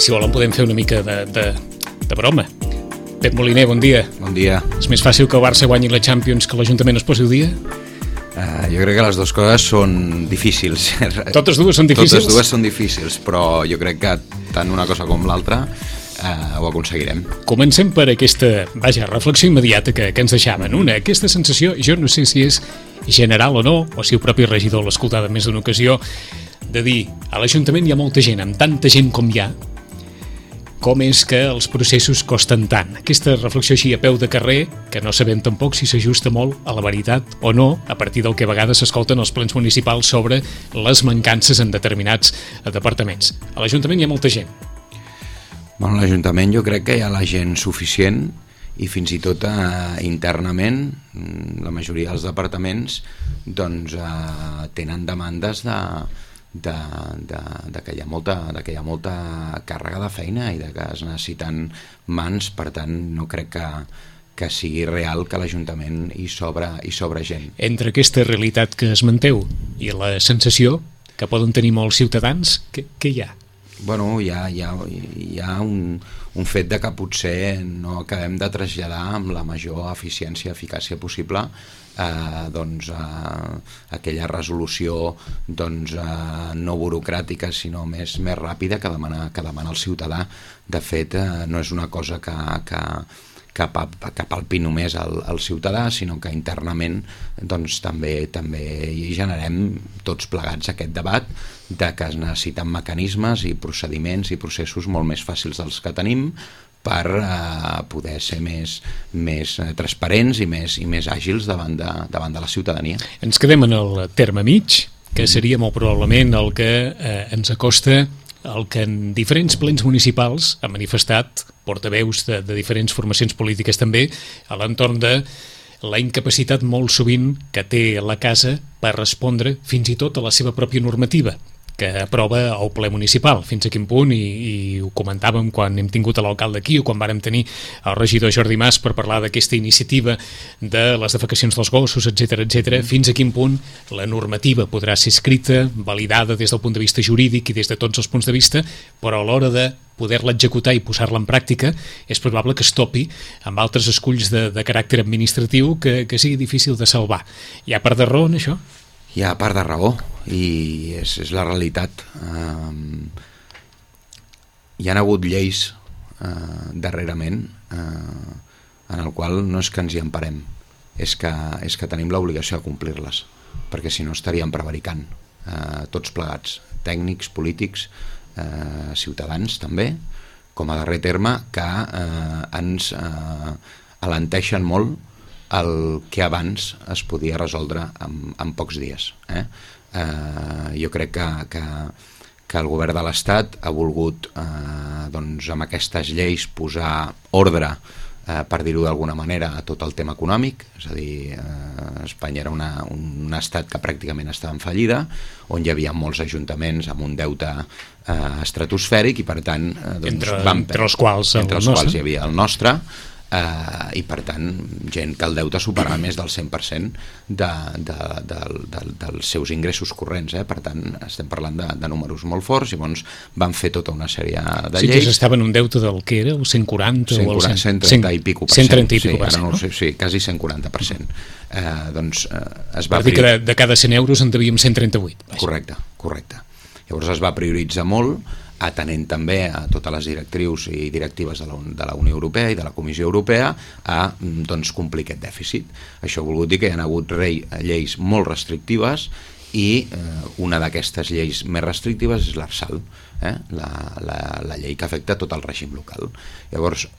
si volen podem fer una mica de broma. Pep Moliner, bon dia. Bon dia. És més fàcil que el Barça guanyi la Champions que l'Ajuntament es posi al dia? Jo crec que les dues coses són difícils. Totes dues són difícils? Totes dues són difícils, però jo crec que tant una cosa com l'altra ho aconseguirem. Comencem per aquesta, reflexió immediata que ens deixaven. Aquesta sensació, jo no sé si és general o no, o si el propi regidor l'ha escoltat més d'una ocasió, de dir, a l'Ajuntament hi ha molta gent, amb tanta gent com hi ha, com és que els processos costen tant. Aquesta reflexió així a peu de carrer, que no sabem tampoc si s'ajusta molt a la veritat o no, a partir del que a vegades s'escolten els plens municipals sobre les mancances en determinats departaments. A l'Ajuntament hi ha molta gent. Bueno, a l'Ajuntament jo crec que hi ha la gent suficient i fins i tot internament la majoria dels departaments doncs tenen demandes de que hi ha molta càrrega de feina i de que es necessiten mans, per tant no crec que sigui real que a l'Ajuntament hi sobra gent. Entre aquesta realitat que esmenteu i la sensació que poden tenir molts ciutadans, què hi ha? Bueno, hi ha un fet de que potser no acabem de traslladar amb la major eficiència i eficàcia possible aquella resolució no burocràtica sinó més ràpida que demana el ciutadà. De fet, no és una cosa que palpi només el ciutadà, sinó que internament també hi generem tots plegats aquest debat de que es necessiten mecanismes i procediments i processos molt més fàcils dels que tenim per poder ser més transparents i més àgils davant de la ciutadania. Ens quedem en el terme mig, que seria molt probablement el que ens acosta el que en diferents plens municipals han manifestat portaveus de diferents formacions polítiques també a l'entorn de la incapacitat molt sovint que té la casa per respondre fins i tot a la seva pròpia normativa que aprova el ple municipal, fins a quin punt, i ho comentàvem quan hem tingut l'alcalde aquí o quan vàrem tenir el regidor Jordi Mas per parlar d'aquesta iniciativa de les defecacions dels gossos, etc., fins a quin punt la normativa podrà ser escrita, validada des del punt de vista jurídic i des de tots els punts de vista, però a l'hora de poder-la executar i posar-la en pràctica és probable que es topi amb altres esculls de caràcter administratiu que sigui difícil de salvar. Hi ha part de raó en això? Hi ha part de raó i és la realitat. Hi ha hagut lleis darrerament en el qual no és que ens hi emparem, és que tenim l'obligació de complir-les, perquè si no estaríem prevaricant tots plegats, tècnics, polítics, ciutadans també, com a darrer terme, que ens alenteixen molt el que abans es podia resoldre en pocs dies. Jo crec que el govern de l'Estat ha volgut amb aquestes lleis posar ordre, per dir-ho d'alguna manera, a tot el tema econòmic. És a dir, Espanya era un estat que pràcticament estava en fallida, on hi havia molts ajuntaments amb un deute estratosfèric i per tant entre els quals hi havia el nostre, i per tant gent que el deute superava més del 100% dels seus ingressos corrents, per tant estem parlant de números molt forts. Llavors van fer tota una sèrie de lleis. Sí, que s'estaven un deute del que era, el 140 o el 130 i pico per cent. 130 i pico per cent, no? Sí, quasi 140%. Es va dir que de cada 100 euros en devíem 138. Correcte. Llavors es va prioritzar molt, atenent també a totes les directrius i directives de la Unió Europea i de la Comissió Europea a complir aquest dèficit. Això ha volgut dir que hi ha hagut lleis molt restrictives i una d'aquestes lleis més restrictives és l'Arsal, la llei que afecta tot el règim local. Llavors,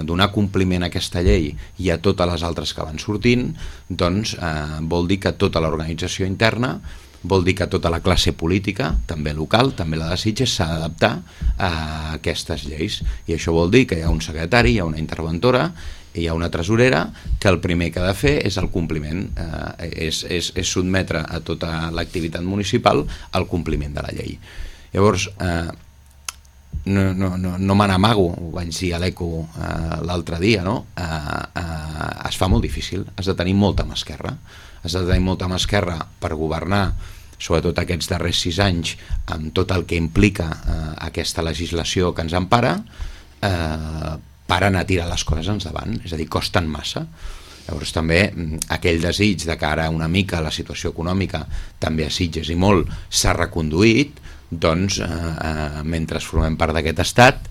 donar compliment a aquesta llei i a totes les altres que van sortint, doncs vol dir que tota l'organització interna, vol dir que tota la classe política, també local, també la de Sitges, s'ha d'adaptar a aquestes lleis. I això vol dir que hi ha un secretari, hi ha una interventora, hi ha una tresorera, que el primer que ha de fer és el compliment, és sotmetre a tota l'activitat municipal al compliment de la llei. Llavors, no me n'amago, ho vaig dir a l'Eco l'altre dia, no? Es fa molt difícil, has de tenir molta mà esquerra per governar sobretot aquests darrers 6 anys, amb tot el que implica aquesta legislació que ens empara, paren a tirar les coses endavant, és a dir, costen massa. Llavors també aquell desig de que ara una mica la situació econòmica també a Sitges i molt s'ha reconduït, doncs mentre formem part d'aquest estat,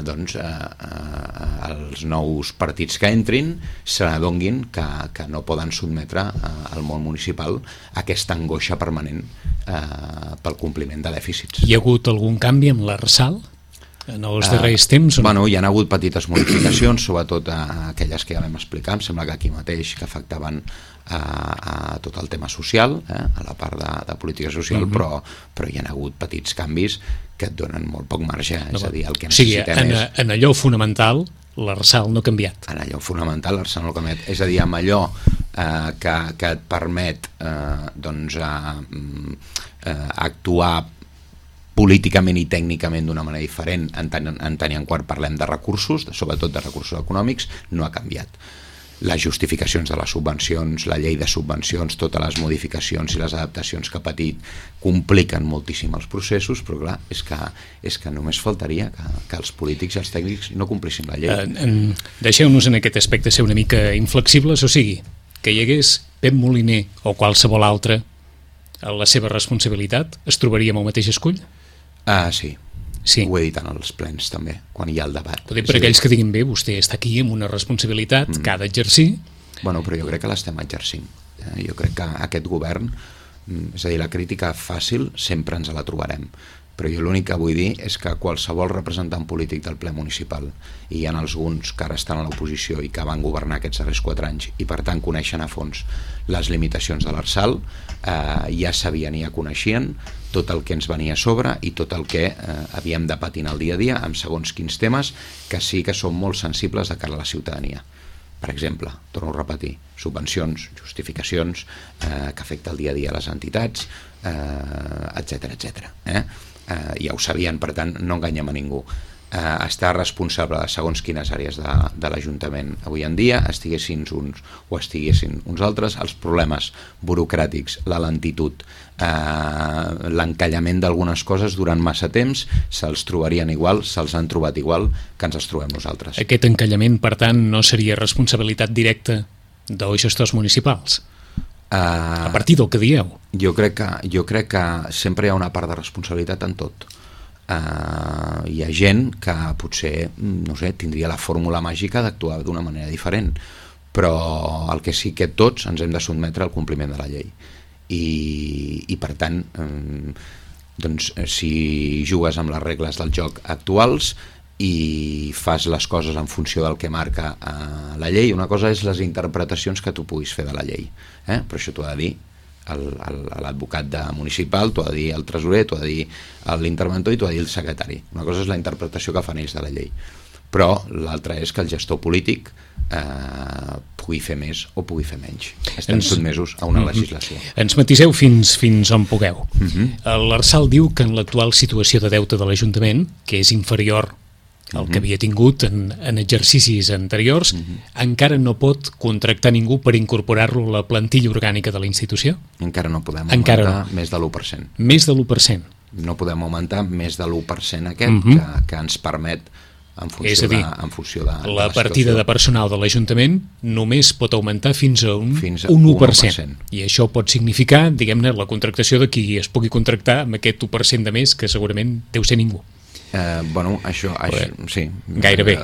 doncs els nous partits que entrin se n'adonguin que no poden sotmetre al món municipal aquesta angoixa permanent pel compliment de dèficits. Hi ha hagut algun canvi amb l'Arsal en els darrers temps? Bueno, hi ha hagut petites modificacions, sobretot aquelles que ja vam explicar, em sembla que aquí mateix, que afectaven a tot el tema social, a la part de política social, però hi ha hagut petits canvis que et donen molt poc marge, és a dir, el que necessitem és... En allò fonamental, l'Arsal no ha canviat. En allò fonamental, l'Arsal no ha canviat. És a dir, amb allò que et permet actuar políticament i tècnicament d'una manera diferent en tant i en quant parlem de recursos, sobretot de recursos econòmics, no ha canviat. Les justificacions de les subvencions, la llei de subvencions, totes les modificacions i les adaptacions que ha patit compliquen moltíssim els processos, però clar, és que només faltaria que els polítics i els tècnics no complissin la llei. Deixeu-nos en aquest aspecte ser una mica inflexibles, o sigui, que hi hagués Pep Moliner o qualsevol altre a la seva responsabilitat, es trobaria amb el mateix escull? Sí, ho he dit en els plens també, quan hi ha el debat. Per aquells que diguin bé, vostè està aquí amb una responsabilitat que ha d'exercir. Bueno, però jo crec que l'estem exercint. Jo crec que aquest govern, és a dir, la crítica fàcil sempre ens la trobarem, però jo l'únic que vull dir és que qualsevol representant polític del ple municipal, i hi ha alguns que ara estan a l'oposició i que van governar aquests darrers 4 anys i per tant coneixen a fons les limitacions de l'Arsal, ja sabien i ja coneixien tot el que ens venia a sobre i tot el que havíem de patir en el dia a dia amb segons quins temes que sí que són molt sensibles de cara a la ciutadania. Per exemple, torno a repetir, subvencions, justificacions que afecta el dia a dia a les entitats, etc. Ja ho sabien, per tant no enganyem a ningú. Estar responsable de segons quines àrees de l'Ajuntament avui en dia, estiguessin uns o estiguessin uns altres, els problemes burocràtics, la lentitud, l'encallament d'algunes coses durant massa temps, se'ls trobarien igual, se'ls han trobat igual que ens els trobem nosaltres. Aquest encallament, per tant, no seria responsabilitat directa dels gestors municipals? A partir del que dieu? Jo crec que sempre hi ha una part de responsabilitat en tot. Hi ha gent que potser, no sé, tindria la fórmula màgica d'actuar d'una manera diferent, però el que sí que tots ens hem de sotmetre al compliment de la llei i per tant doncs si jugues amb les regles del joc actuals i fas les coses en funció del que marca la llei, una cosa és les interpretacions que tu puguis fer de la llei, però això t'ho ha de dir l'advocat municipal, t'ho ha de dir el tresorer, t'ho ha de dir l'interventor i t'ho ha de dir el secretari. Una cosa és la interpretació que fan ells de la llei, però l'altra és que el gestor polític pugui fer més o pugui fer menys. Estem sotmesos a una legislació. Ens matiseu fins on pugueu. L'Arsal diu que en l'actual situació de deute de l'Ajuntament, que és inferior el que havia tingut en exercicis anteriors, encara no pot contractar ningú per incorporar-lo a la plantilla orgànica de la institució? Encara no podem augmentar més de l'1%. Més de l'1%? No podem augmentar més de l'1% aquest que ens permet en funció de la partida de personal de l'Ajuntament només pot augmentar fins a un 1%. I això pot significar, diguem-ne, la contractació de qui es pugui contractar amb aquest 1% de més, que segurament deu ser ningú. Bueno, això sí, gairebé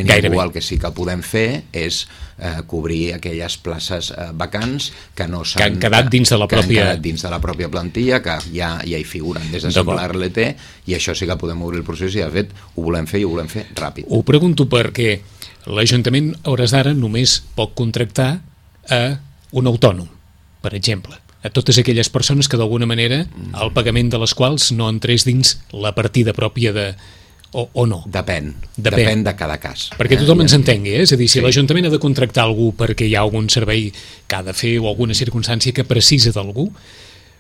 ningú. El que sí que podem fer és cobrir aquelles places vacants que han quedat dins de la pròpia plantilla, que ja hi figuren des de l'RLT, i això sí que podem obrir el procés i de fet ho volem fer i ho volem fer ràpid. Ho pregunto perquè l'Ajuntament a hores d'ara només pot contractar a un autònom, per exemple, a totes aquelles persones que d'alguna manera el pagament de les quals no entrés dins la partida pròpia o no. Depèn de cada cas. Perquè tothom ens entengui, és a dir, si l'Ajuntament ha de contractar algú perquè hi ha algun servei que ha de fer o alguna circumstància que precisa d'algú,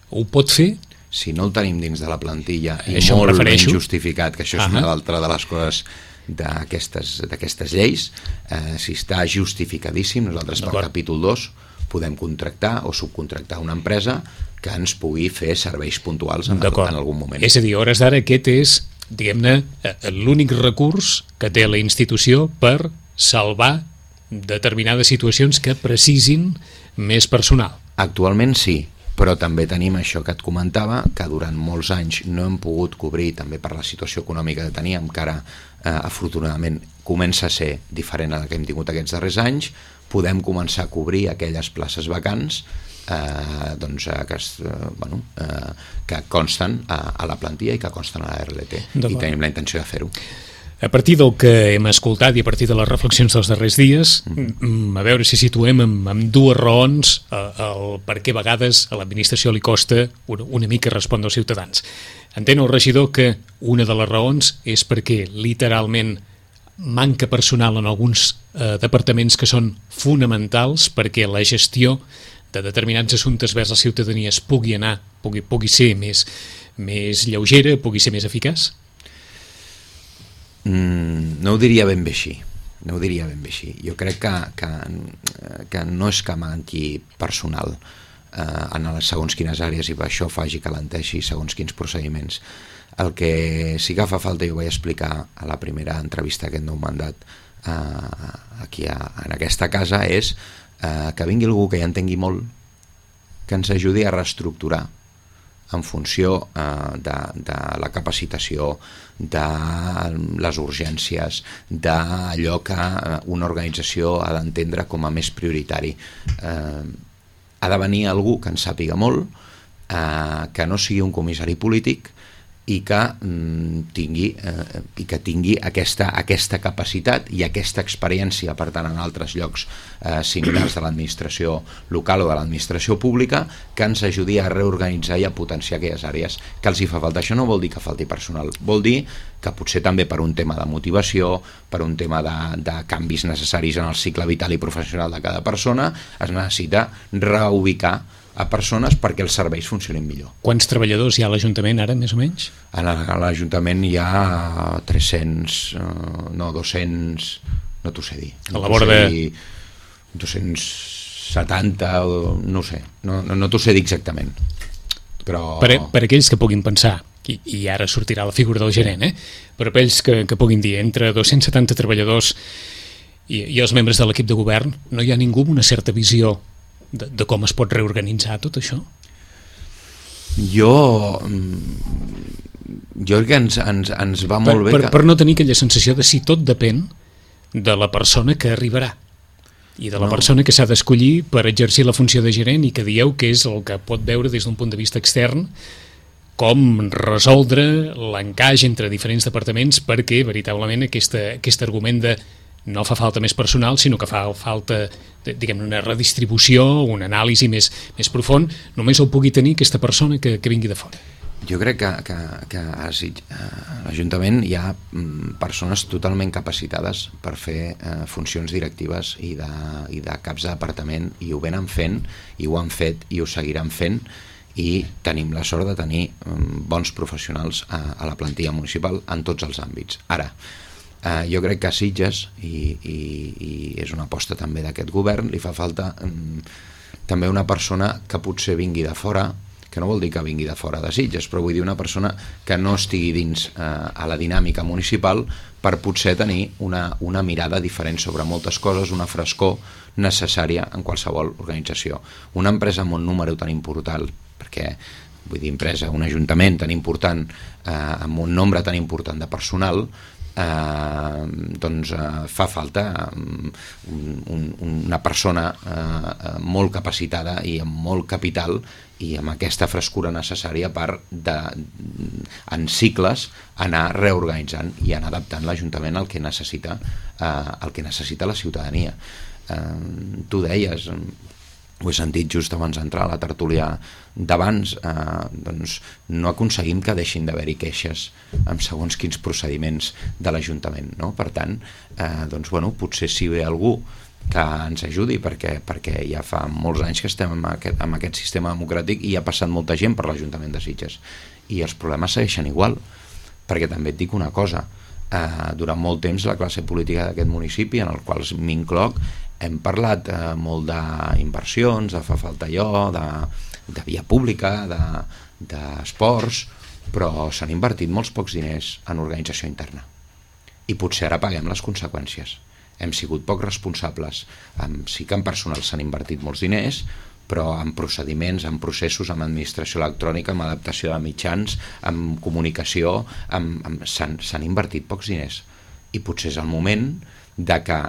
ho pot fer? Si no el tenim dins de la plantilla i molt ben justificat, que això és una altra de les coses d'aquestes lleis, si està justificadíssim, nosaltres per capítol 2 podem contractar o subcontractar una empresa que ens pugui fer serveis puntuals en algun moment. És a dir, a hores d'ara aquest és, diguem-ne, l'únic recurs que té la institució per salvar determinades situacions que precisin més personal. Actualment sí, però també tenim això que et comentava, que durant molts anys no hem pogut cobrir, també per la situació econòmica que teníem, que ara afortunadament comença a ser diferent a la que hem tingut aquests darrers anys. Podem començar a cobrir aquelles places vacants que consten a la plantilla i que consten a la RLT, i tenim la intenció de fer-ho. A partir del que hem escoltat i a partir de les reflexions dels darrers dies, a veure si situem amb dues raons el per què a vegades a l'administració li costa una mica respondre als ciutadans. Entén el regidor que una de les raons és perquè literalment manca personal en alguns departaments que són fonamentals perquè la gestió de determinats assumptes vers la ciutadania es pugui ser més lleugera, pugui ser més eficaç? No ho diria ben bé així. Jo crec que no és que manqui personal en les segons quines àrees i per això faci que alenteixi segons quins procediments. El que sí que fa falta, i ho vaig explicar a la primera entrevista d'aquest nou mandat aquí en aquesta casa, és que vingui algú que ja entengui molt, que ens ajudi a reestructurar en funció de la capacitació, de les urgències, d'allò que una organització ha d'entendre com a més prioritari. Ha de venir algú que en sàpiga molt, que no sigui un comissari polític i que tingui aquesta capacitat i aquesta experiència, per tant, en altres llocs similars de l'administració local o de l'administració pública, que ens ajudi a reorganitzar i a potenciar aquelles àrees que els hi fa falta. Això no vol dir que falti personal, vol dir que potser també per un tema de motivació, per un tema de canvis necessaris en el cicle vital i professional de cada persona, es necessita reubicar a persones perquè els serveis funcionin millor. Quants treballadors hi ha a l'Ajuntament ara, més o menys? A l'Ajuntament hi ha 200, no t'ho sé dir. A la vora de... 270, no ho sé, no t'ho sé dir exactament. Però... Per aquells que puguin pensar, i ara sortirà la figura del gerent, però per aquells que puguin dir, entre 270 treballadors i els membres de l'equip de govern, no hi ha ningú amb una certa visió de com es pot reorganitzar tot això? Jo crec que ens va molt bé... Per no tenir aquella sensació de si tot depèn de la persona que arribarà i de la persona que s'ha d'escollir per exercir la funció de gerent i que dieu que és el que pot veure des d'un punt de vista extern com resoldre l'encaix entre diferents departaments perquè veritablement aquest argument de no fa falta més personal, sinó que fa falta, diguem, una redistribució, un anàlisi més profund, només el pugui tenir aquesta persona que vingui de fora. Jo crec que a l'Ajuntament hi ha persones totalment capacitades per fer funcions directives i de caps de departament, i ho venen fent, i ho han fet, i ho seguiran fent, i tenim la sort de tenir bons professionals a la plantilla municipal en tots els àmbits. Ara, jo crec que a Sitges, i és una aposta també d'aquest govern, li fa falta també una persona que potser vingui de fora, que no vol dir que vingui de fora de Sitges, però vull dir una persona que no estigui dins a la dinàmica municipal per potser tenir una mirada diferent sobre moltes coses, una frescor necessària en qualsevol organització. Una empresa amb un número tan important, perquè vull dir empresa, un ajuntament tan important, amb un nombre tan important de personal, doncs fa falta una persona molt capacitada i amb molt capital i amb aquesta frescura necessària per en cicles anar reorganitzant i anar adaptant l'Ajuntament al que necessita la ciutadania. Tu deies, ho he sentit just abans d'entrar a la tertúlia d'abans, doncs no aconseguim que deixin d'haver-hi queixes amb segons quins procediments de l'Ajuntament, no? Per tant, doncs, bueno, potser si ve algú que ens ajudi, perquè ja fa molts anys que estem amb aquest sistema democràtic i ha passat molta gent per l'Ajuntament de Sitges i els problemes segueixen igual, perquè també et dic una cosa, durant molt temps la classe política d'aquest municipi, en el qual m'incloc, Hem parlat molt d'inversions, de fa falta allò, de via pública, d'esports, però s'han invertit molts pocs diners en organització interna. I potser ara paguem les conseqüències. Hem sigut poc responsables. Sí que en personal s'han invertit molts diners, però en procediments, en processos, en administració electrònica, en adaptació de mitjans, en comunicació, s'han invertit pocs diners. I potser és el moment de que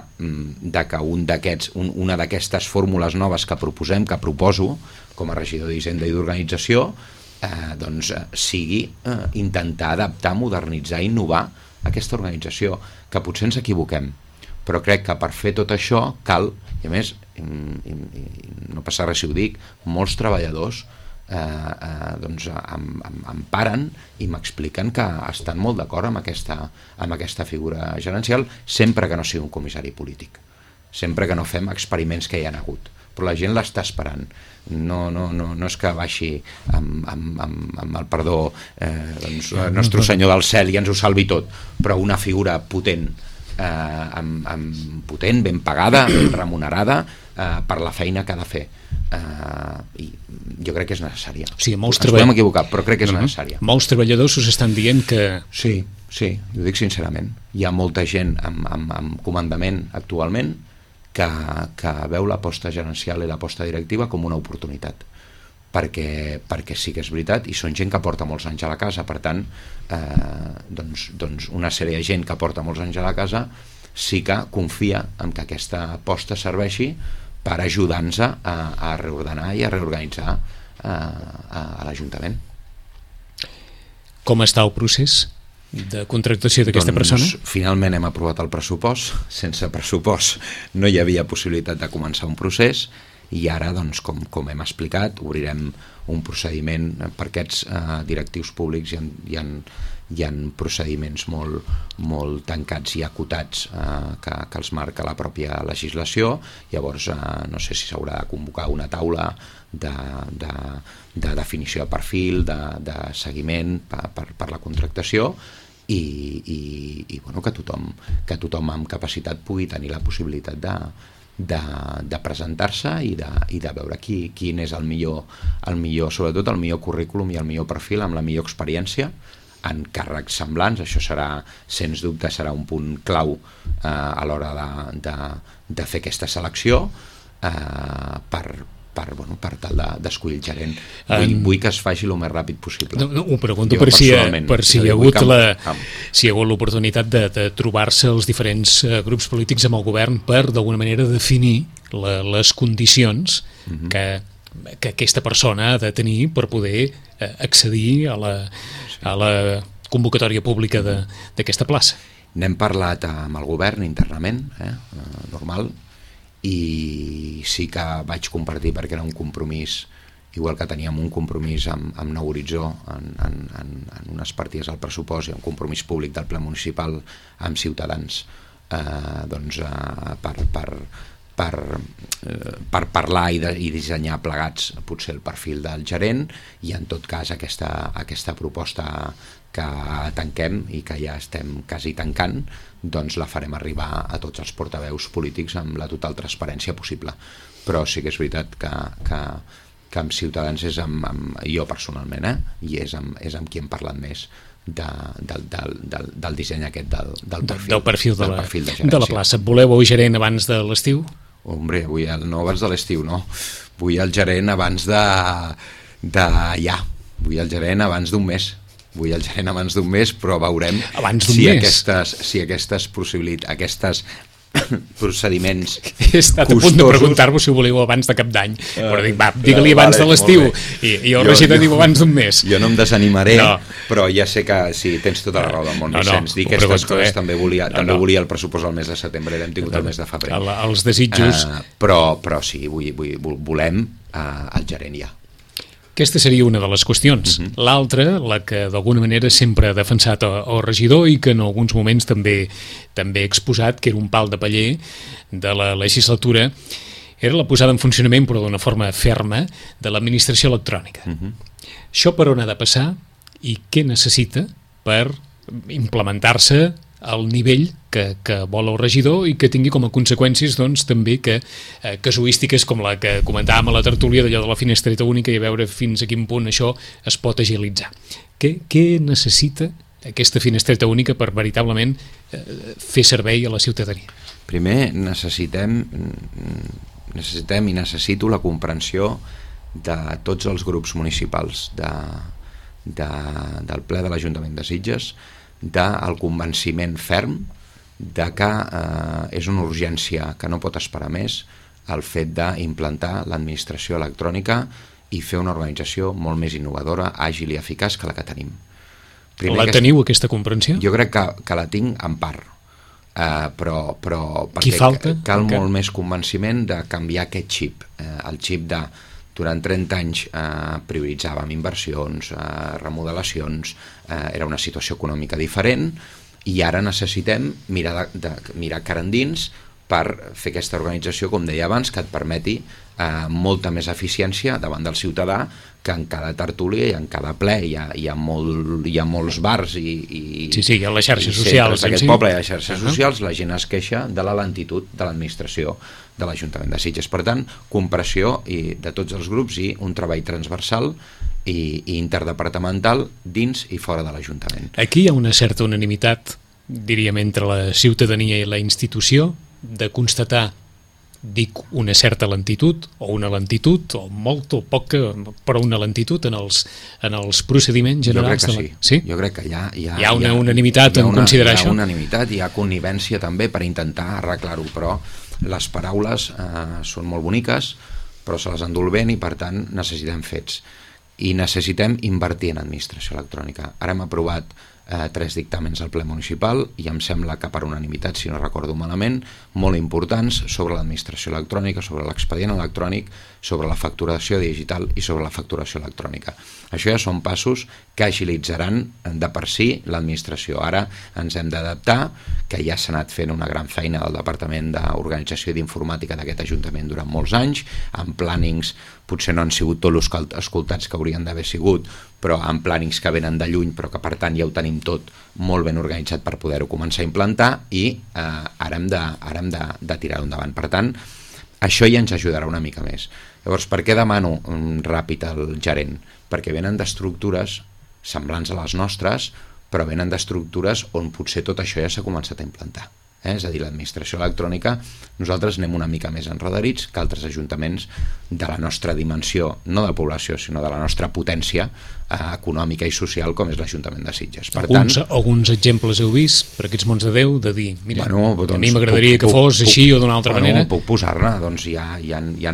una d'aquestes fórmules noves que proposem, que proposo com a regidor d'Hisenda i d'Organització, sigui intentar adaptar, modernitzar, innovar aquesta organització, que potser ens equivoquem, però crec que per fer tot això cal, i a més, no passa res si ho dic, molts treballadors em paren i m'expliquen que estan molt d'acord amb aquesta figura gerencial, sempre que no sigui un comissari polític, sempre que no fem experiments que hi ha hagut, però la gent l'està esperant. No és que baixi amb el perdó el nostre senyor del cel i ens ho salvi tot, però una figura potent, ben pagada, ben remunerada per la feina que ha de fer, i jo crec que és necessària. Ens podem equivocar, però crec que és necessària. Molts treballadors us estan dient que... Sí, ho dic sincerament. Hi ha molta gent amb comandament actualment que veu l'aposta gerencial i l'aposta directiva com una oportunitat, perquè sí que és veritat, i són gent que porta molts anys a la casa, per tant una sèrie de gent que porta molts anys a la casa sí que confia en que aquesta aposta serveixi per ajudar-nos a reordenar i a reorganitzar a l'Ajuntament. Com està el procés de contractació d'aquesta persona? Finalment hem aprovat el pressupost. Sense pressupost no hi havia possibilitat de començar un procés, i ara, com hem explicat, obrirem un procediment per aquests directius públics. Hi ha procediments molt tancats i acotats que els marca la pròpia legislació. Llavors no sé si s'haurà de convocar una taula de definició de perfil, de seguiment per la contractació, i que tothom amb capacitat pugui tenir la possibilitat de presentar-se i de veure quin és el millor, sobretot el millor currículum i el millor perfil amb la millor experiència en càrrecs semblants. Això serà, sens dubte, serà un punt clau a l'hora de fer aquesta selecció per tal d'escollir el gerent. Vull que es faci el més ràpid possible. Ho pregunto per si hi ha hagut l'oportunitat de trobar-se els diferents grups polítics amb el govern per, d'alguna manera, definir les condicions que aquesta persona ha de tenir per poder accedir a la convocatòria pública d'aquesta plaça. N'hem parlat amb el govern internament, normal, i sí que vaig compartir, perquè era un compromís, igual que teníem un compromís amb Nou Horitzó en unes partides al pressupost i un compromís públic del ple municipal amb Ciutadans, per parlar i dissenyar plegats potser el perfil del gerent, i en tot cas aquesta proposta que tanquem i que ja estem quasi tancant, doncs la farem arribar a tots els portaveus polítics amb la total transparència possible. Però sí que és veritat que amb Ciutadans és jo personalment, i és amb qui hem parlat més del disseny aquest del perfil de la plaça. Voleu el gerent abans de l'estiu? Hombre, no abans de l'estiu, no. Vull el gerent abans vull el gerent abans d'un mes. Però veurem si aquestes procediments he estat a punt de preguntar-vos si ho voleu abans de cap d'any, però dic, digue-li abans de l'estiu, i el regidor diu abans d'un mes. Jo no em desanimaré, però ja sé que sí, tens tota la raó del món, Vicenç. Dir aquestes coses també volia el pressupost al mes de setembre, l'hem tingut el mes de febrer. Els desitjos... Però sí, volem el gerent ja. Aquesta seria una de les qüestions. L'altra, la que d'alguna manera sempre ha defensat el regidor i que en alguns moments també he exposat, que era un pal de paller de la legislatura, era la posada en funcionament, però d'una forma ferma, de l'administració electrònica. Això per on ha de passar i què necessita per implementar-se al nivell que vol el regidor i que tingui com a conseqüències doncs, també que casuístiques com la que comentàvem a la tertúlia d'allò de la finestreta única i a veure fins a quin punt això es pot agilitzar. Què necessita aquesta finestreta única per veritablement fer servei a la ciutadania? Primer necessitem i necessito la comprensió de tots els grups municipals del ple de l'Ajuntament de Sitges, del convenciment ferm de que és una urgència que no pot esperar més el fet d'implantar l'administració electrònica i fer una organització molt més innovadora, àgil i eficaç que la que tenim. Teniu aquesta comprensió? Jo crec que la tinc en part, però Qui falta? Cal molt més convenciment de canviar aquest xip, el xip de durant 30 anys prioritzàvem inversions, remodelacions, era una situació econòmica diferent i ara necessitem mirar cara endins per fer aquesta organització, com deia abans, que et permeti molta més eficiència davant del ciutadà, que en cada tertúlia i en cada ple hi ha molts bars i sí, hi ha les xarxes socials d'aquest poble, hi ha xarxes socials, la gent es queixa de la lentitud de l'administració de l'Ajuntament de Sitges. Per tant, compressió de tots els grups i un treball transversal i interdepartamental dins i fora de l'Ajuntament. Aquí hi ha una certa unanimitat, diríem, entre la ciutadania i la institució de constatar, dic, una certa lentitud o una lentitud, o molt o poc, però una lentitud en els procediments generals. Jo crec que sí. Jo crec que hi ha una unanimitat en considerar això. Hi ha unanimitat, hi ha connivència també per intentar arreglar-ho, però les paraules són molt boniques, però se les endú el vent i per tant necessitem fets. I necessitem invertir en administració electrònica. Ara hem aprovat 3 dictàmens al ple municipal i em sembla que per unanimitat, si no recordo malament, molt importants sobre l'administració electrònica, sobre l'expedient electrònic, sobre la facturació digital i sobre la facturació electrònica. Això ja són passos que agilitzaran de per si l'administració. Ara ens hem d'adaptar, que ja s'ha anat fent una gran feina del Departament d'Organització i d'Informàtica d'aquest Ajuntament durant molts anys, amb plànings, potser no han sigut tots els escoltats que haurien d'haver sigut, però amb plànings que venen de lluny, però que per tant ja ho tenim tot molt ben organitzat per poder-ho començar a implantar i ara hem de tirar-ho endavant. Per tant, això ja ens ajudarà una mica més. Llavors, per què demano ràpid al gerent? Perquè venen d'estructures semblants a les nostres, però venen d'estructures on potser tot això ja s'ha començat a implantar. És a dir, l'administració electrònica, nosaltres anem una mica més enredarits que altres ajuntaments de la nostra dimensió, no de població, sinó de la nostra potència econòmica i social, com és l'Ajuntament de Sitges. Per tant, alguns exemples heu vist per aquests mons de Déu, de dir, mira, doncs, a mi m'agradaria que fos així o d'una altra manera? Puc posar-ne, doncs hi ha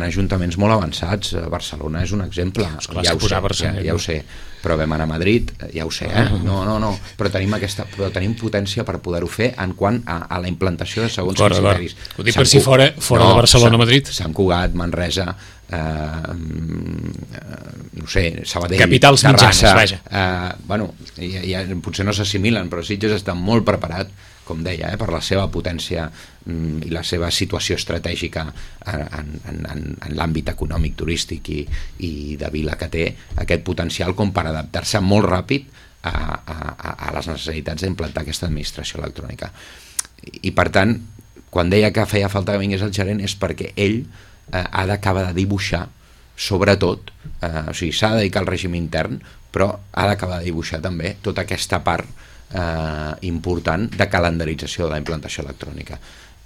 ajuntaments molt avançats, Barcelona és un exemple, ja ho sé, però vam anar a Madrid, ja ho sé, no, però tenim potència per poder-ho fer en quant a la implantació de segons criteris. Ho dic per si fora de Barcelona o Madrid. Sant Cugat, Manresa, no sé, Sabadell, capitals Terrassa, vaja. Potser no s'assimilen, però Sitges està molt preparat, com deia, per la seva potència i la seva situació estratègica en l'àmbit econòmic, turístic i de vila que té, aquest potencial com per adaptar-se molt ràpid a les necessitats d'implantar aquesta administració electrònica. I per tant, quan deia que feia falta que vingués el gerent és perquè ell ha d'acabar de dibuixar, sobretot, o sigui, s'ha de dedicar al règim intern, però ha d'acabar de dibuixar també tota aquesta part important de calendarització de la implantació electrònica.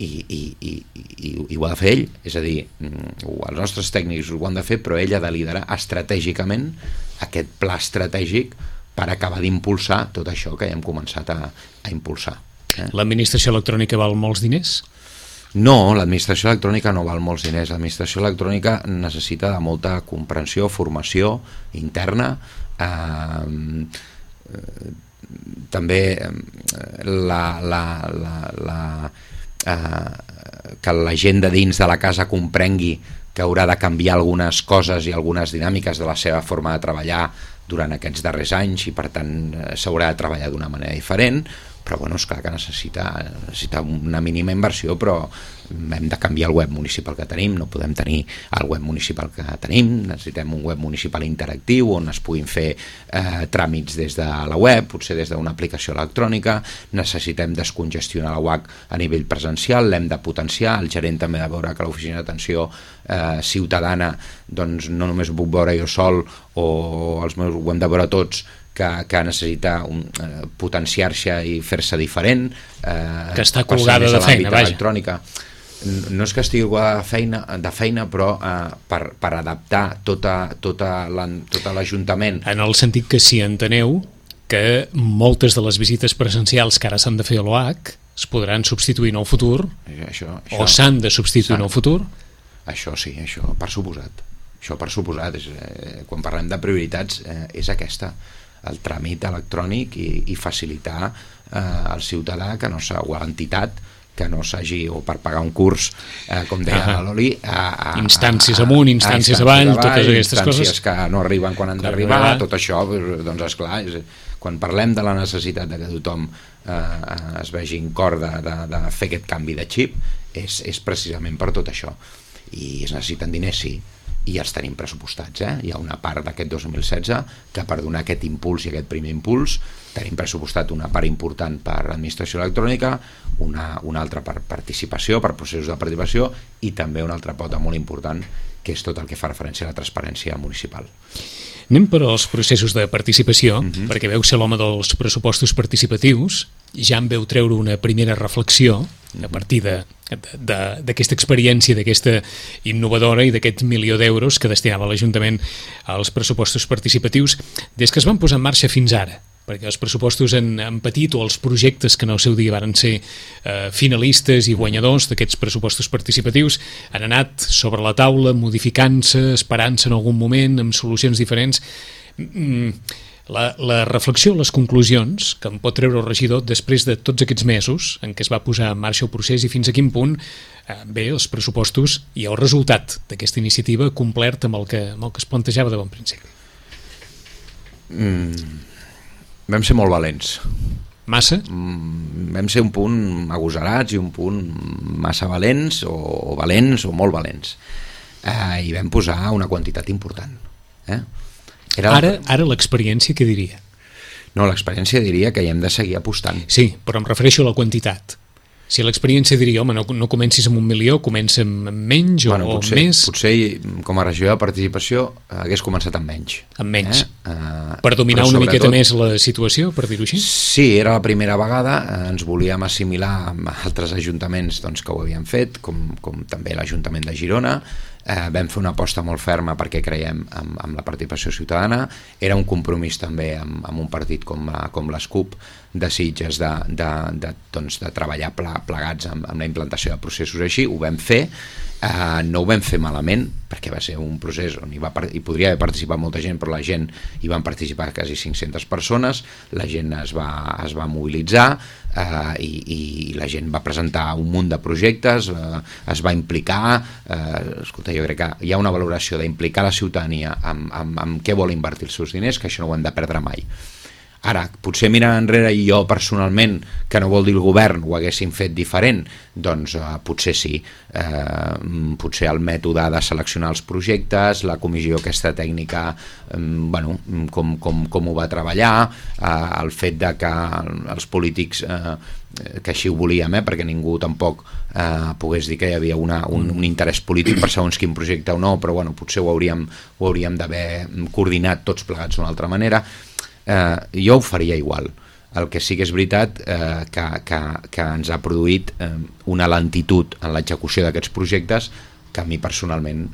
I ho ha de fer ell, és a dir, els nostres tècnics ho han de fer, però ell ha de liderar estratègicament aquest pla estratègic per acabar d'impulsar tot això que ja hem començat a impulsar. L'administració electrònica val molts diners? No, l'administració electrònica no val molts diners. L'administració electrònica necessita de molta comprensió, formació interna, també que la gent de dins de la casa comprengui que haurà de canviar algunes coses i algunes dinàmiques de la seva forma de treballar durant aquests darrers anys i per tant s'haurà de treballar d'una manera diferent, però bueno, és clar que necessita una mínima inversió, però hem de canviar el web municipal que tenim, no podem tenir el web municipal que tenim, necessitem un web municipal interactiu on es puguin fer tràmits des de la web, potser des d'una aplicació electrònica, necessitem descongestionar la UAC a nivell presencial, l'hem de potenciar, el gerent també ha de veure que l'oficina d'atenció ciutadana, doncs no només ho puc veure jo sol o els meus, ho hem de veure tots, que necessita potenciar-se i fer-se diferent, que està colgada de feina, electrònica. No és que estigui de feina, però per adaptar tot l'Ajuntament. En el sentit que si enteneu que moltes de les visites presencials que ara s'han de fer a l'OAC es podran substituir en el futur, o s'han de substituir en el futur? Això sí, això per suposat. Quan parlem de prioritats és aquesta, el tràmit electrònic i facilitar al ciutadà que no o a l'entitat que no s'hagi, o per pagar un curs, com deia la Loli, instàncies amunt, instàncies avall, totes aquestes coses. Instàncies que no arriben quan han d'arribar, tot això, doncs esclar, quan parlem de la necessitat de que tothom es vegi en cor de fer aquest canvi de xip, és precisament per tot això. I es necessiten diners, sí, i els tenim pressupostats. Hi ha una part d'aquest 2016 que per donar aquest impuls i aquest primer impuls tenim pressupostat una part important per administració electrònica, una altra per participació, per processos de participació, i també una altra pota molt important que és tot el que fa referència a la transparència municipal. Anem per als processos de participació, perquè veu ser l'home dels pressupostos participatius, ja en veu treure una primera reflexió a partir d'aquesta experiència, d'aquesta innovadora i d'aquest 1.000.000 d'euros que destinava l'Ajuntament als pressupostos participatius des que es van posar en marxa fins ara, perquè els pressupostos han patit, o els projectes que en el seu dia varen ser finalistes i guanyadors d'aquests pressupostos participatius han anat sobre la taula, modificant-se, esperant-se en algun moment, amb solucions diferents. La reflexió, les conclusions que en pot treure el regidor després de tots aquests mesos en què es va posar en marxa el procés i fins a quin punt ve els pressupostos i el resultat d'aquesta iniciativa complert amb el que es plantejava de bon principi. Vam ser molt valents. Massa? Vam ser un punt agosarats i un punt massa valents o molt valents. I vam posar una quantitat important. Ara l'experiència què diria? No, l'experiència diria que hi hem de seguir apostant. Sí, però em refereixo a la quantitat. Si l'experiència diria, home, no comencis amb 1.000.000, comença amb menys o més. Potser com a regió de participació hagués començat amb menys. Amb menys. Per dominar una miqueta més la situació, per dir-ho així? Sí, era la primera vegada, ens volíem assimilar amb altres ajuntaments que ho havien fet, com també l'Ajuntament de Girona. Vam fer una aposta molt ferma perquè creiem en la participació ciutadana. Era un compromís també amb un partit com les CUP de Sitges de treballar plegats amb la implantació de processos així. Ho vam fer, no ho vam fer malament perquè va ser un procés on hi podria haver participat molta gent, però la gent hi van participar quasi 500 persones, la gent es va mobilitzar i la gent va presentar un munt de projectes, es va implicar. Escolta, jo crec que hi ha una valoració d'implicar la ciutadania amb què vol invertir els seus diners, que això no ho hem de perdre mai. Ara, potser mirant enrere i jo personalment, que no vol dir el govern, ho haguéssim fet diferent, doncs potser sí. Potser el mètode de seleccionar els projectes, la comissió aquesta tècnica, com ho va treballar, el fet de que els polítics, que així ho volíem, perquè ningú tampoc pogués dir que hi havia un interès polític per segons quin projecte o no, però potser ho hauríem d'haver coordinat tots plegats d'una altra manera. Jo ho faria igual. El que sí que és veritat que ens ha produït una lentitud en l'execució d'aquests projectes que a mi personalment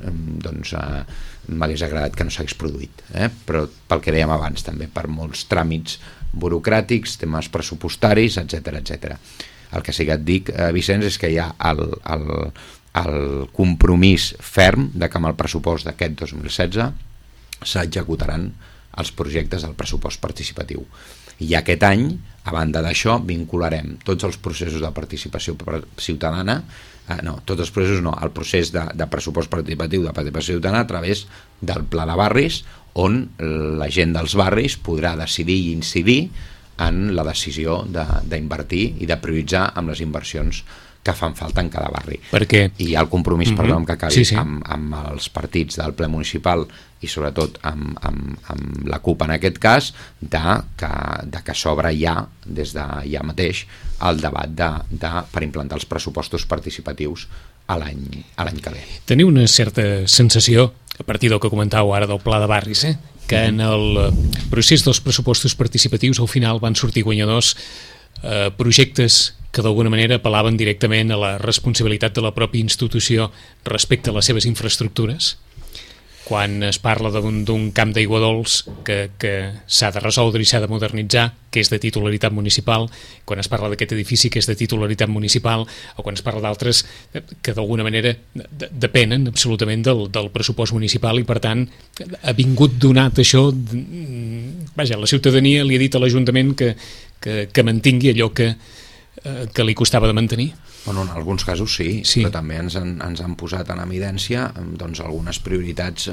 m'hagués agradat que no s'hagués produït, però pel que dèiem abans també, per molts tràmits burocràtics, temes pressupostaris, etc. El que sí que et dic, Vicenç, és que hi ha el compromís ferm de que amb el pressupost d'aquest 2016 s'executaran els projectes del pressupost participatiu. I aquest any, a banda d'això, vincularem tots els processos de participació ciutadana, tots els processos no, el procés de pressupost participatiu de participació ciutadana a través del pla de barris, on la gent dels barris podrà decidir i incidir en la decisió d'invertir i de prioritzar amb les inversions que fan falta en cada barri. Perquè... I hi ha el compromís, perdó, que acabi, sí. amb els partits del ple municipal i sobretot amb la CUP en aquest cas, de que s'obre ja, des de ja mateix, el debat per implantar els pressupostos participatius a l'any que ve. Teniu una certa sensació, a partir del que comentàveu ara del pla de barris, que en el procés dels pressupostos participatius al final van sortir guanyadors projectes que d'alguna manera apel·laven directament a la responsabilitat de la pròpia institució respecte a les seves infraestructures? Quan es parla d'un camp d'aigua dolç que s'ha de resoldre i s'ha de modernitzar, que és de titularitat municipal, quan es parla d'aquest edifici que és de titularitat municipal, o quan es parla d'altres que d'alguna manera depenen absolutament del pressupost municipal, i per tant ha vingut donat això, vaja, la ciutadania li ha dit a l'Ajuntament que mantingui allò que li costava de mantenir. Bueno, en alguns casos sí, però també ens han posat en evidència doncs, algunes prioritats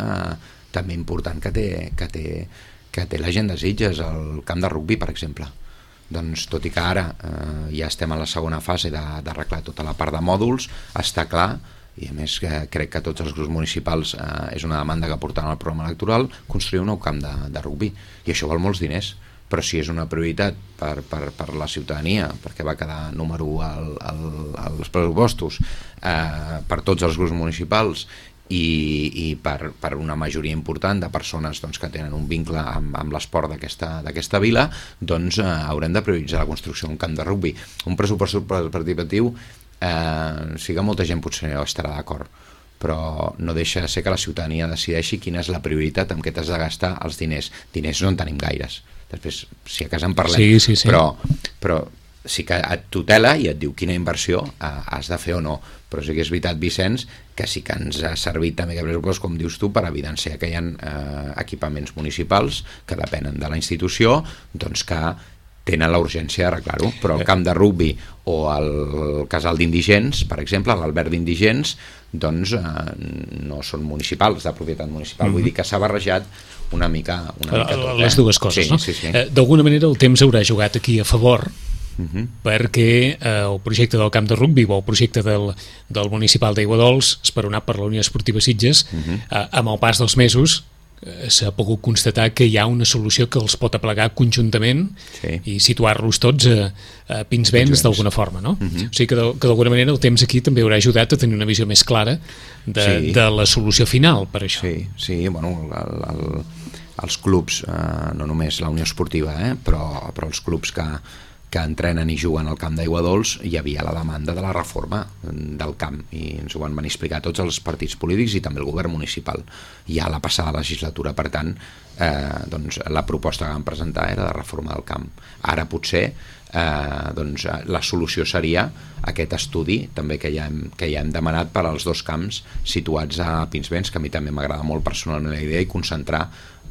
també importants que té la gent de Sitges, el camp de rugbi, per exemple. Doncs, tot i que ara ja estem a la segona fase d'arreglar tota la part de mòduls, està clar, i a més crec que tots els grups municipals és una demanda que portaran al programa electoral, construir un nou camp de rugbi, i això val molts diners. Però si és una prioritat per la ciutadania, perquè va quedar número 1 als pressupostos, per tots els grups municipals i per una majoria important de persones doncs, que tenen un vincle amb l'esport d'aquesta vila, doncs haurem de prioritzar la construcció d'un camp de rugbi. Un pressupost participatiu, sí que molta gent potser no estarà d'acord, però no deixa de ser que la ciutadania decideixi quina és la prioritat amb què t'has de gastar els diners. Diners no en tenim gaires. Després, si a casa en parlem, sí. Però sí que et tutela i et diu quina inversió has de fer o no. Però sí que és veritat, Vicenç, que sí que ens ha servit també, com dius tu, per evidenciar que hi ha equipaments municipals que depenen de la institució, doncs que tenen la urgència d'arreglar-ho, però el camp de rugbi o el casal d'indigents, per exemple, l'alberg d'indigents, doncs no són municipals, de propietat municipal. Vull dir que s'ha barrejat una mica tot. Les dues coses, sí, no? Sí. D'alguna manera el temps haurà jugat aquí a favor, perquè el projecte del camp de rugbi o el projecte del municipal d'Aiguadols, esperonat per la Unió Esportiva Sitges, amb el pas dels mesos s'ha pogut constatar que hi ha una solució que els pot aplegar conjuntament i situar-los tots a pins vents d'alguna forma, no? O sigui que d'alguna manera el temps aquí també haurà ajudat a tenir una visió més clara de la solució final per això. Sí, bueno, els clubs, no només la Unió Esportiva, però els clubs que entrenen i juguen al camp d'Aiguadols, hi havia la demanda de la reforma del camp, i ens ho van venir a explicar tots els partits polítics i també el govern municipal ja a la passada legislatura. Per tant, doncs, la proposta que van presentar era de reforma del camp. Ara potser doncs, la solució seria aquest estudi també que ja hem demanat per als dos camps situats a Pinsbens, que a mi també m'agrada molt personalment la idea, i concentrar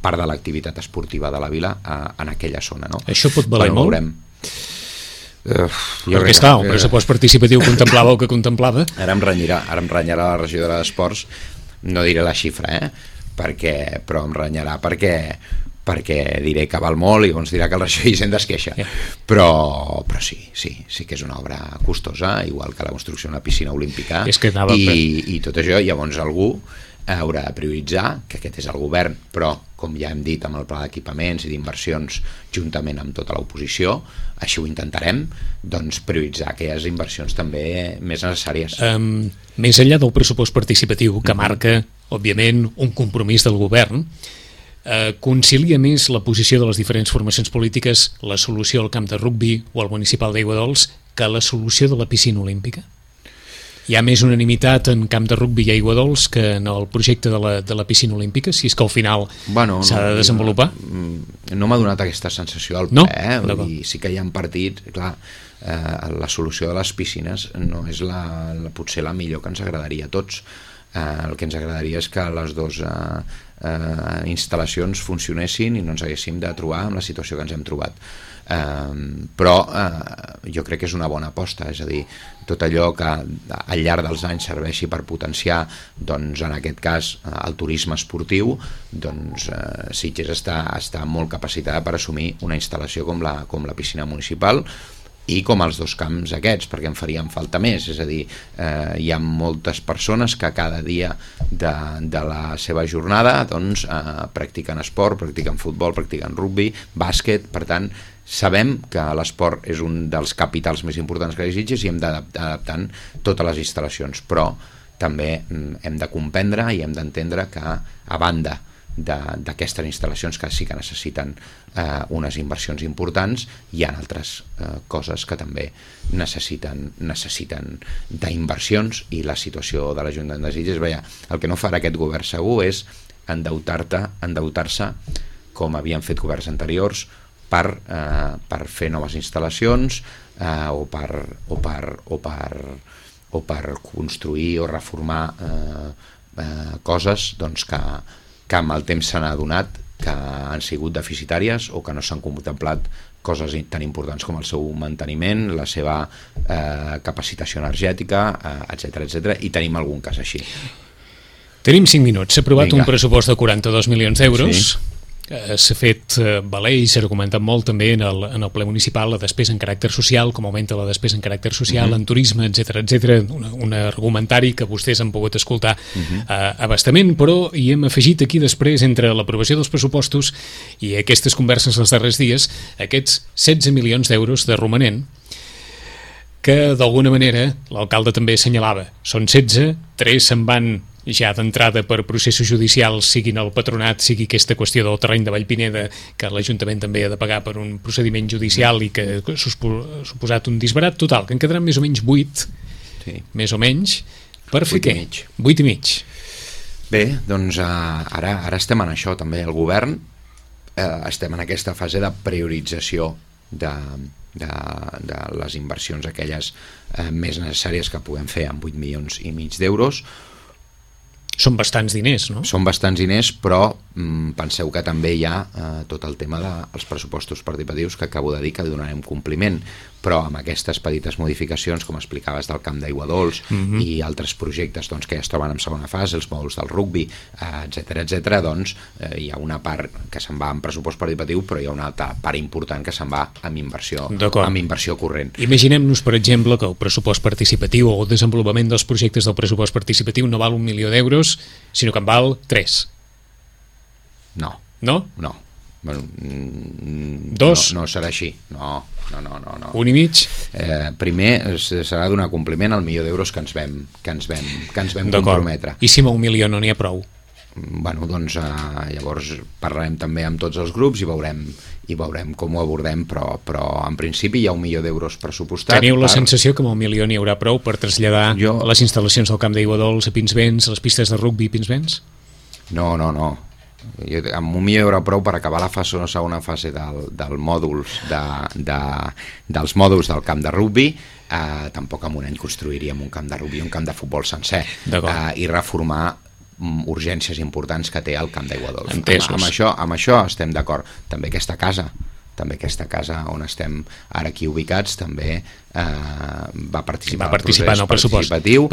part de l'activitat esportiva de la vila en aquella zona, no? Això pot valer molt? Veurem. Perquè és clar, el pressupost participatiu contemplava el que contemplava. Ara em renyarà la regidora d'Esports, no diré la xifra, però em renyarà perquè diré que val molt i llavors dirà que el regidor Hisenda es queixa. Però sí que és una obra costosa, igual que la construcció d'una piscina olímpica, i tot això. Llavors algú haurà de prioritzar, que aquest és el govern, però com ja hem dit amb el pla d'equipaments i d'inversions juntament amb tota l'oposició, així ho intentarem, doncs prioritzar aquelles inversions també més necessàries. Més enllà del pressupost participatiu, que marca, òbviament, un compromís del govern, concilia més la posició de les diferents formacions polítiques la solució al camp de rugbi o al municipal d'Aiguadols que la solució de la piscina olímpica? Hi ha més unanimitat en camp de rugbi i Aiguadols que en el projecte de la piscina olímpica, si és que al final s'ha de desenvolupar? No m'ha donat aquesta sensació al ple, i sí que hi ha partits, clar, la solució de les piscines no és potser la millor que ens agradaria a tots. El que ens agradaria és que les dues instal·lacions funcionessin i no ens haguéssim de trobar amb la situació que ens hem trobat. Però jo crec que és una bona aposta, és a dir, tot allò que al llarg dels anys serveixi per potenciar, doncs, en aquest cas, el turisme esportiu, doncs Sitges està molt capacitada per assumir una instal·lació com la piscina municipal i com els dos camps aquests, perquè en farien falta més, és a dir, hi ha moltes persones que cada dia de la seva jornada doncs, practiquen esport, practiquen futbol, practiquen rugby, bàsquet, per tant, sabem que l'esport és un dels capitals més importants que hi ha Sitges i hem d'adaptant totes les instal·lacions, però també hem de comprendre i hem d'entendre que a banda d'aquestes instal·lacions que sí que necessiten unes inversions importants, hi ha altres coses que també necessiten d'inversions, i la situació de l'Ajuntament de Sitges, el que no farà aquest govern segur és endeutar-se com havien fet governs anteriors per fer noves instal·lacions o per construir o reformar coses doncs, que amb el temps s'han adonat que han sigut deficitàries o que no s'han contemplat coses tan importants com el seu manteniment, la seva capacitació energètica, etc. I tenim algun cas així. Tenim 5 minuts. S'ha aprovat un pressupost de 42 milions d'euros. Sí. S'ha fet valer i s'ha argumentat molt també en el ple municipal la despesa en caràcter social, com augmenta la despesa en caràcter social, en turisme, etc. Un argumentari que vostès han pogut escoltar abastament, però hi hem afegit aquí després, entre l'aprovació dels pressupostos i aquestes converses els darrers dies, aquests 16 milions d'euros de romanent, que d'alguna manera l'alcalde també assenyalava. Són 16, 3 se'n van ja d'entrada per processos judicials, siguin el patronat, sigui aquesta qüestió del terreny de Vallpineda, que l'Ajuntament també ha de pagar per un procediment judicial i que ha suposat un disbarat total, que en quedaran més o menys 8, més o menys, per fer què? 8 i mig. Bé, doncs ara estem en això també, el govern estem en aquesta fase de priorització de les inversions aquelles més necessàries que puguem fer amb 8 milions i mig d'euros. Són bastants diners, no? Són bastants diners, però penseu que també hi ha tot el tema dels pressupostos participatius que acabo de dir que donarem compliment, però amb aquestes petites modificacions, com explicaves, del camp d'aigua dolç i altres projectes doncs, que ja es troben en segona fase, els mòduls del rugby, etc., doncs hi ha una part que se'n va en pressupost participatiu, però hi ha una altra part important que se'n va amb inversió corrent. Imaginem-nos, per exemple, que el pressupost participatiu o el desenvolupament dels projectes del pressupost participatiu no val 1 milió d'euros, sinó que en val 3. No. No? No. Bueno, 2? No serà així. No. 1 i mig? Primer serà donar compliment al milió d'euros que ens vam comprometre. I si amb 1 milió no n'hi ha prou? Bueno, doncs llavors parlarem també amb tots els grups i veurem com ho abordem, però en principi hi ha 1 milió d'euros pressupostat. Teniu la sensació que amb 1 milió n'hi haurà prou per traslladar les instal·lacions del camp d'aigua dolç a Pinsbens, les pistes de rugby a Pinsbens? No. Amb 1 milió hi haurà prou per acabar la segona fase dels mòduls del camp de rugby. Tampoc en un any construiríem un camp de rugby, un camp de futbol sencer, i reformar urgències importants que té el camp d'aigua dolç. Amb això estem d'acord. També aquesta casa on estem ara aquí ubicats també va participar en el pressupost participatiu,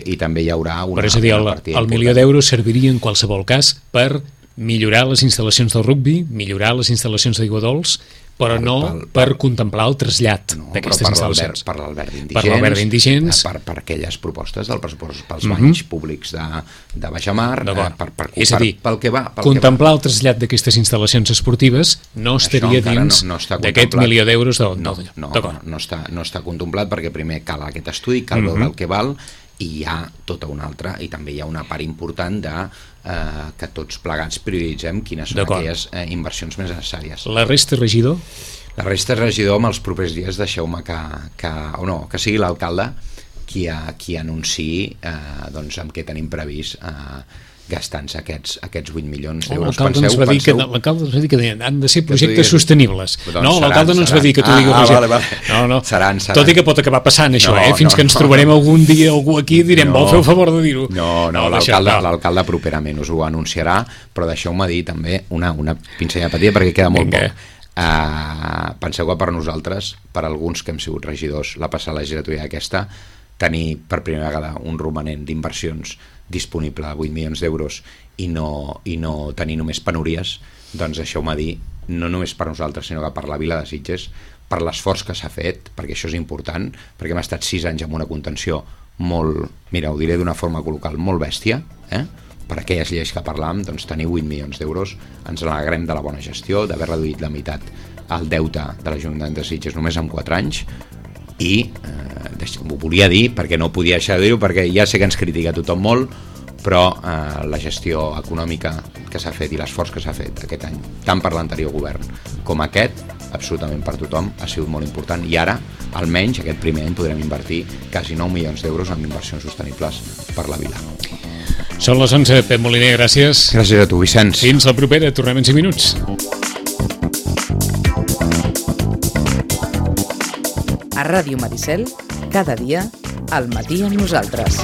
i també hi haurà una partida important. El milió d'euros serviria en qualsevol cas per millorar les instal·lacions del rugby, millorar les instal·lacions d'aigua dolç, però no per contemplar el trasllat d'aquestes instal·lacions. Per l'Albert d'Indigents, per aquelles propostes del pressupost pels banys públics de baixamar, és a dir, contemplar el trasllat d'aquestes instal·lacions esportives no estaria dins d'aquest milió d'euros. No està contemplat, perquè primer cal aquest estudi, cal veure el que val, i hi ha tota una altra, i també hi ha una part important que tots plegats prioritzem quines són aquelles inversions més necessàries. La resta, regidor? La resta, regidor, en els propers dies deixeu-me que sigui l'alcalde qui anunciï doncs, amb què tenim previst gastant-se aquests 8 milions d'euros. L'alcalde ens va dir que han de ser projectes sostenibles. Doncs no, l'alcalde no ens va dir que tu digues... Vale. No. Seran. Tot i que pot acabar passant això, fins que ens trobarem algun dia algú aquí i direm, vol fer el favor de dir-ho. No, l'alcalde properament us ho anunciarà, però deixeu-me dir també una pinzellada petita perquè queda molt poc. Penseu que per nosaltres, per alguns que hem sigut regidors la passada legislatura aquesta, tenir per primera vegada un romanent d'inversions disponible a 8 milions d'euros i no tenir només penúries, doncs deixeu-me dir, no només per nosaltres sinó que per la vila de Sitges, per l'esforç que s'ha fet, perquè això és important, perquè hem estat 6 anys amb una contenció molt, mira, ho diré d'una forma col·loquial, molt bèstia, per aquelles lleis que parlàvem, doncs tenir 8 milions d'euros, ens n'alegrem de la bona gestió, d'haver reduït la meitat el deute de l'Ajuntament de Sitges només en 4 anys, i ho volia dir perquè no podia deixar de dir-ho, perquè ja sé que ens critica tothom molt, però la gestió econòmica que s'ha fet i l'esforç que s'ha fet aquest any, tant per l'anterior govern com aquest, absolutament per tothom, ha sigut molt important, i ara, almenys aquest primer any, podrem invertir quasi 9 milions d'euros en inversions sostenibles per la vila. Són les 11, Pep Moliner, gràcies. Gràcies a tu, Vicenç. Fins la propera, tornem en 5 minuts. A Ràdio Maricel, cada dia, al matí amb nosaltres.